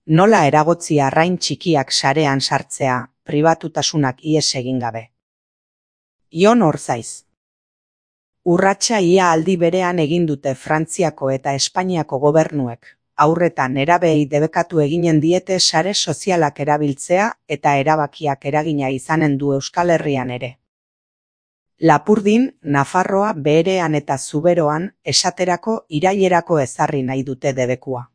Nola eragotzi arrain txikiak sarean sartzea, pribatutasunak ihes egin gabe. Jon Orzaiz. Urratsa ia aldi berean egin dute Frantziako eta Espainiako gobernuek, haurretan nerabeei debekatu eginen diete sare sozialak erabiltzea eta erabakiak eragina izanen du Euskal Herrian ere. Lapurdin, Nafarroa, Beherean eta Zuberoan esaterako irailerako ezarri nahi dute debekua.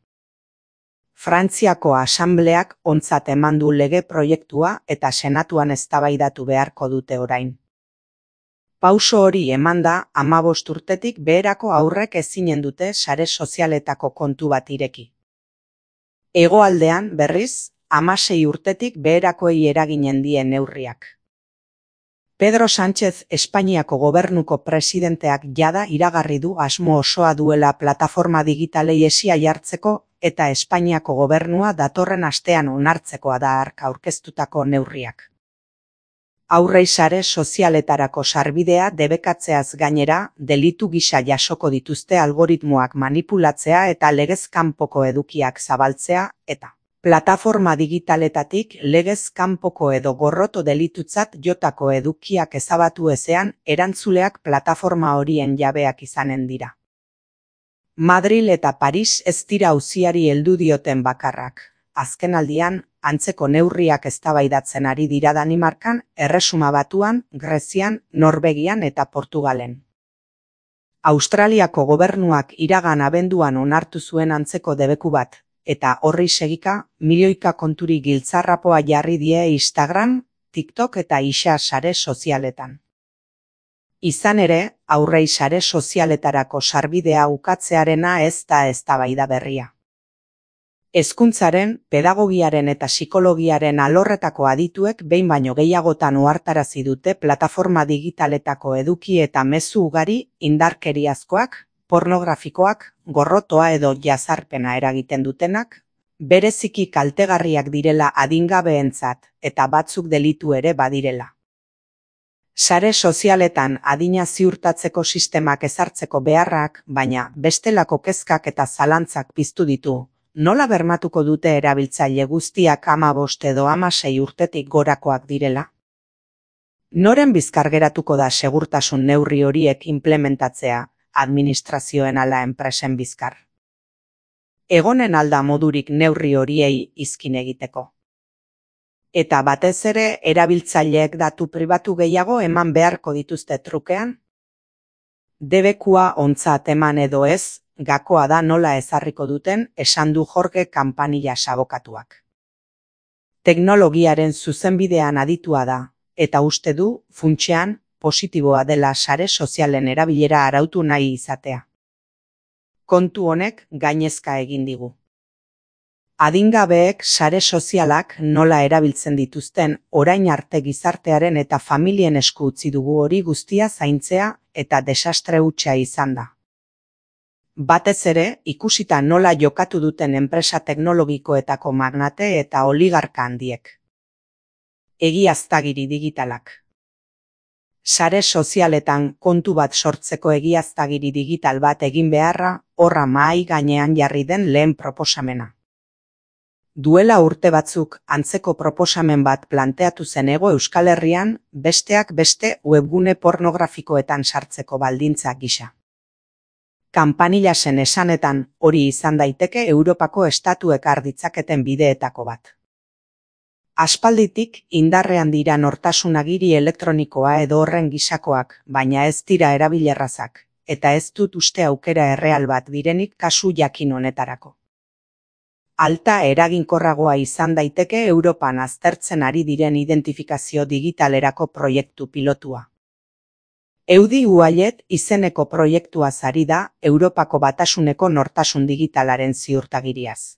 Frantziako asambleak ontzat eman du lege proiektua eta senatuan eztabaidatu beharko dute orain. Pauso hori emanda 15 urtetik beherako haurrek ezinen dute sare sozialetako kontu bat ireki. Hegoaldean, berriz, 16 urtetik beherakoei eraginen die neurriak. Pedro Sánchez Espainiako gobernuko presidenteak jada iragarri du asmo osoa duela plataforma digitalei esia jartzeko eta Espainiako gobernua datorren astean onartzekoa da hark aurkeztutako neurriak. Haurrei sare sozialetarako sarbidea debekatzeaz gainera, delitu gisa jasoko dituzte algoritmoak manipulatzea eta legez kanpoko edukiak zabaltzea eta plataforma digitaletatik legez kanpoko edo gorroto delitutzat jotako edukiak ezabatu ezean erantzuleak plataforma horien jabeak izanen dira. Madril eta Paris ez dira auziari heldu dioten bakarrak. Azkenaldian, antzeko neurriak eztabaidatzen ari dira Danimarkan, Erresuma Batuan, Grezian, Norvegian eta Portugalen. Australiako gobernuak iragan abenduan onartu zuen antzeko debeku bat, eta horri segika, milioika konturi giltzarrapoa jarri die Instagram, TikTok eta isa sare sozialetan. Izan ere, haurrei sare sozialetarako sarbidea ukatzearena ez da eztabaida berria. Hezkuntzaren, pedagogiaren eta psikologiaren alorretako adituek behin baino gehiagotan ohartarazi dute plataforma digitaletako eduki eta mezu ugari indarkeriazkoak, pornografikoak, gorrotoa edo jazarpena eragiten dutenak, bereziki kaltegarriak direla adingabeentzat eta batzuk delitu ere badirela. Sare sozialetan adina ziurtatzeko sistemak ezartzeko beharrak, baina bestelako kezkak eta zalantzak piztu ditu. Nola bermatuko dute erabiltzaile guztiak 15 edo 16 urtetik gorakoak direla? Noren bizkar geratuko da segurtasun neurri horiek implementatzea, administrazioen ala enpresen bizkar? Egonen alda modurik neurri horiei izkin egiteko. Eta batez ere erabiltzaileek datu pribatu gehiago eman beharko dituzte trukean? Debekua ontzat eman edo ez, gakoa da nola ezarriko duten esan du Jorge Campanillas abokatuak. Teknologiaren zuzenbidean aditua da, eta uste du, funtsean, positiboa dela sare sozialen erabilera arautu nahi izatea. Kontu honek gainezka egin digu. Adingabeek sare sozialak nola erabiltzen dituzten orain arte gizartearen eta familien esku utzi dugu hori guztia zaintzea eta desastre hutsa izan da. Batez ere, ikusita nola jokatu duten enpresa teknologikoetako magnate eta oligarka handiek. Egiaztagiri digitalak. Sare sozialetan kontu bat sortzeko egiaztagiri digital bat egin beharra, horra mahai gainean jarri den lehen proposamena. Duela urte batzuk antzeko proposamen bat planteatu zen Hego Euskal Herrian, besteak beste webgune pornografikoetan sartzeko baldintza gisa. Campanillasen esanetan hori izan daiteke Europako estatuek har ditzaketen bideetako bat. Aspalditik indarrean dira nortasun agiri elektronikoa edo horren gisakoak, baina ez dira erabilerrazak, eta ez dut uste aukera erreal bat direnik kasu jakin honetarako. Alta eraginkorragoa izan daiteke Europan aztertzen ari diren identifikazio digitalerako proiektu pilotua. Eudi Ualet izeneko proiektua ari da Europako Batasuneko nortasun digitalaren ziurtagiriaz.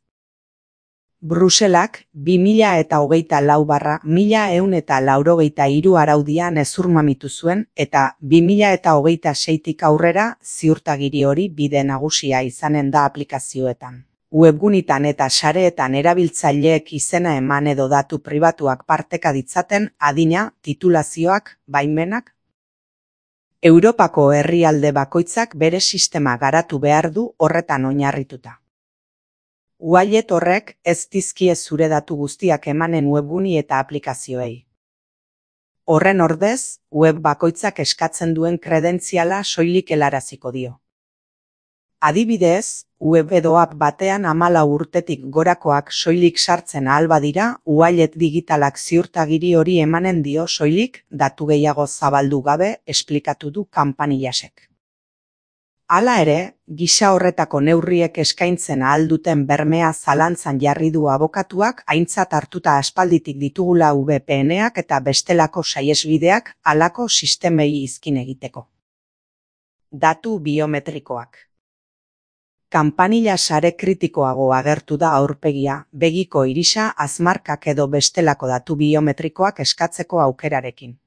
Bruselak 2024/1183 araudian hezurmamitu zuen eta 2026tik aurrera ziurtagiri hori bide nagusia izanen da aplikazioetan. Webgunitan eta sareetan erabiltzaileek izena eman edo datu pribatuak parteka ditzaten adina, titulazioak, baimenak. Europako herrialde bakoitzak bere sistema garatu behar du horretan oinarrituta. Wallet horrek ez dizkie zure datu guztiak emanen webguni eta aplikazioei. Horren ordez, web bakoitzak eskatzen duen kredentziala soilik helaraziko dio. Adibidez, web edo app batean 14 urtetik gorakoak soilik sartzen ahal badira, wallet digitalak ziurtagiri hori emanen dio soilik datu gehiago zabaldu gabe, esplikatu du Campanillasek. Hala ere, gisa horretako neurriek eskaintzen ahal duten bermea zalantzan jarri du abokatuak aintzat hartuta aspalditik ditugula VPN-ak eta bestelako saihesbideak halako sistemei izkin egiteko. Datu biometrikoak. Campanillas sare kritikoago agertu da aurpegia, begiko irisa, azmarkak edo bestelako datu biometrikoak eskatzeko aukerarekin.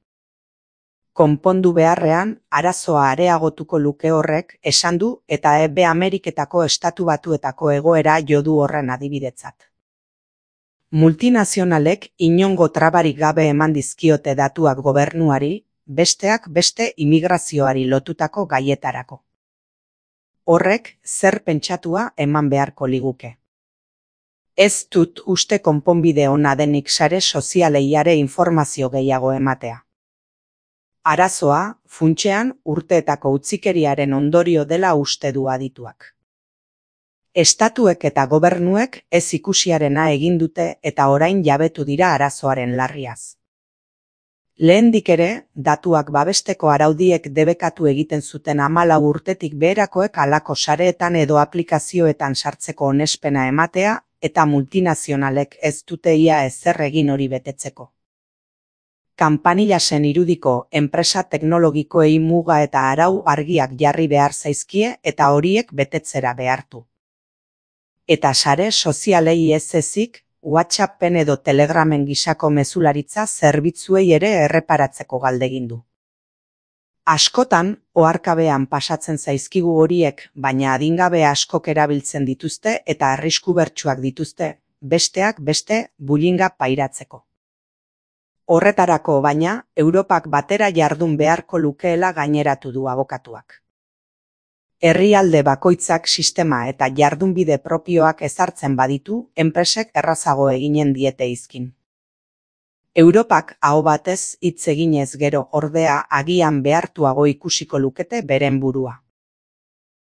Konpondu beharrean, arazoa areagotuko luke horrek, esan du, eta Ameriketako Estatu Batuetako egoera jo du horren adibidetzat. Multinazionalek inongo trabarik gabe eman dizkiote datuak gobernuari, besteak beste immigrazioari lotutako gaietarako. Horrek zer pentsatua eman beharko liguke. Ez dut uste konponbide ona denik sare sozialeiare informazio gehiago ematea. Arazoa, funtsean, urteetako utzikeriaren ondorio dela uste du adituak. Estatuek eta gobernuek ez ikusiarena egin dute eta orain jabetu dira arazoaren larriaz. Lehendik ere, datuak babesteko araudiek debekatu egiten zuten 14 urtetik beherakoek halako sareetan edo aplikazioetan sartzeko onespena ematea eta multinazionalek ez dute ia ezer egin hori betetzeko. Campanillasen irudiko enpresa teknologikoei muga eta arau argiak jarri behar zaizkie eta horiek betetzera behartu. Eta sare sozialei ez ezik, WhatsAppen edo Telegramen gisako mezularitza zerbitzuei ere erreparatzeko galdegindu. Askotan, oharkabean pasatzen zaizkigu horiek, baina adingabe askok erabiltzen dituzte eta arrisku bertsuak dituzte, besteak beste bullyinga pairatzeko. Horretarako baina, Europak batera jardun beharko lukeela gaineratu du abokatuak. Herrialde bakoitzak sistema eta jardunbide propioak ezartzen baditu, enpresek errazago eginen diete izkin. Europak aho batez hitz eginez gero ordea agian behartuago ikusiko lukete beren burua.